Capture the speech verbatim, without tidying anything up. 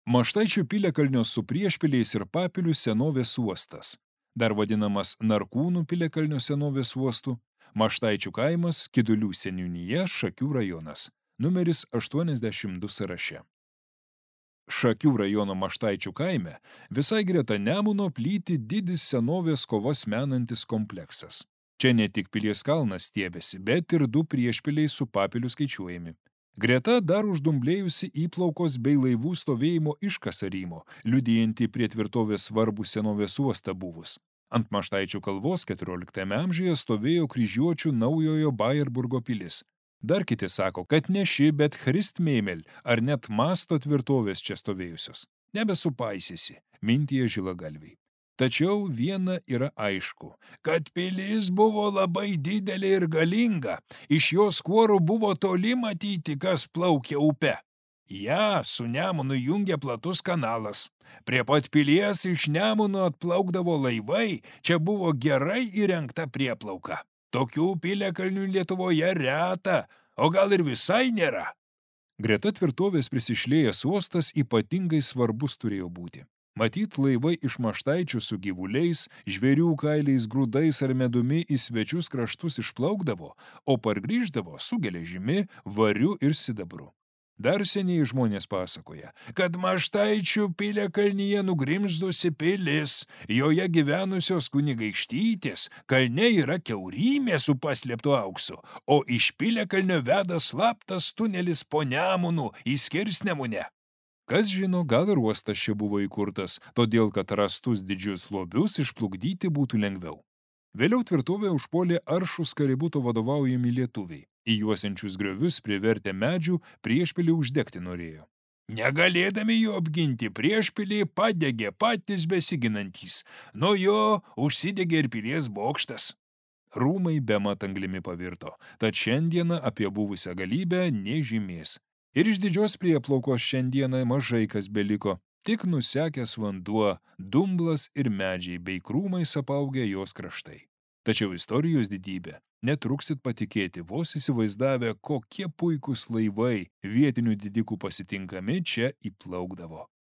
Maštaičių piliakalnio su priešpiliais ir papilių senovės uostas, dar vadinamas Narkūnų piliakalnio senovės uostu, Maštaičių kaimas, Kidulių seniūnija, Šakių rajonas, numeris aštuoniasdešimt du sąraše. Šakių rajono Maštaičių kaime visai greta Nemuno plyti didis senovės kovas menantis kompleksas. Čia ne tik Pilies kalnas stiebėsi, bet ir du priešpiliai su papiliu skaičiuojami. Greta dar uždumblėjusi įplaukos bei laivų stovėjimo iškasarymo, liudijanti prie tvirtovės svarbų senovės uostą buvus. Ant Maštaičių kalvos keturioliktame amžiuje stovėjo kryžiuočių naujojo Bajerburgo pilis. Dar kiti sako, kad ne ši, bet Christmeimel ar net Masto tvirtovės čia stovėjusios. Nebesupaisysi, mintyje žilagalviai. Tačiau viena yra aišku, kad pilis buvo labai didelė ir galinga, iš jos kuorų buvo toli matyti, kas plaukia upe. Ja su Nemunu jungia platus kanalas. Prie pat pilies iš Nemuno atplaukdavo laivai, čia buvo gerai įrengta prieplauka. Tokių piliakalnių Lietuvoje reta, o gal ir visai nėra. Greta tvirtovės prisišlėjęs uostas ypatingai svarbus turėjo būti. Matyt, laivai iš Maštaičių su gyvuliais, žvėrių kailiais, grūdais ar medumi į svečius kraštus išplaukdavo, o pargrįždavo su geležimi, variu ir sidabru. Dar seniai žmonės pasakoja, kad Maštaičių piliakalnyje nugrimzdusi pilis, joje gyvenusios kunigaikštytės, kalne yra kiaurymė su paslėptu auksu, o iš piliakalnio veda slaptas tunelis po Nemunu į Skirsnemunę. Kas žino, gal ir uostas čia buvo įkurtas, todėl kad rastus didžius lobius išplukdyti būtų lengviau. Vėliau tvirtovę užpuolė aršūs Kaributo vadovaujami lietuviai. Į juosiančius griovius privertę medžių priešpilį uždegti norėjo. Negalėdami jo apginti, priešpilį padegė patys besiginantys. Nuo jo užsidegė ir pilies bokštas. Rūmai bemat anglimi pavirto, tad šiandieną apie buvusią galybę nė žymės. Ir iš didžios prieplaukos šiandieną mažai kas beliko, tik nusekęs vanduo, dumblas ir medžiai bei krūmais apaugę jos kraštai. Tačiau istorijos didybė, netruksit patikėti, vos įsivaizdavę, kokie puikūs laivai vietinių didikų pasitinkami čia įplaukdavo.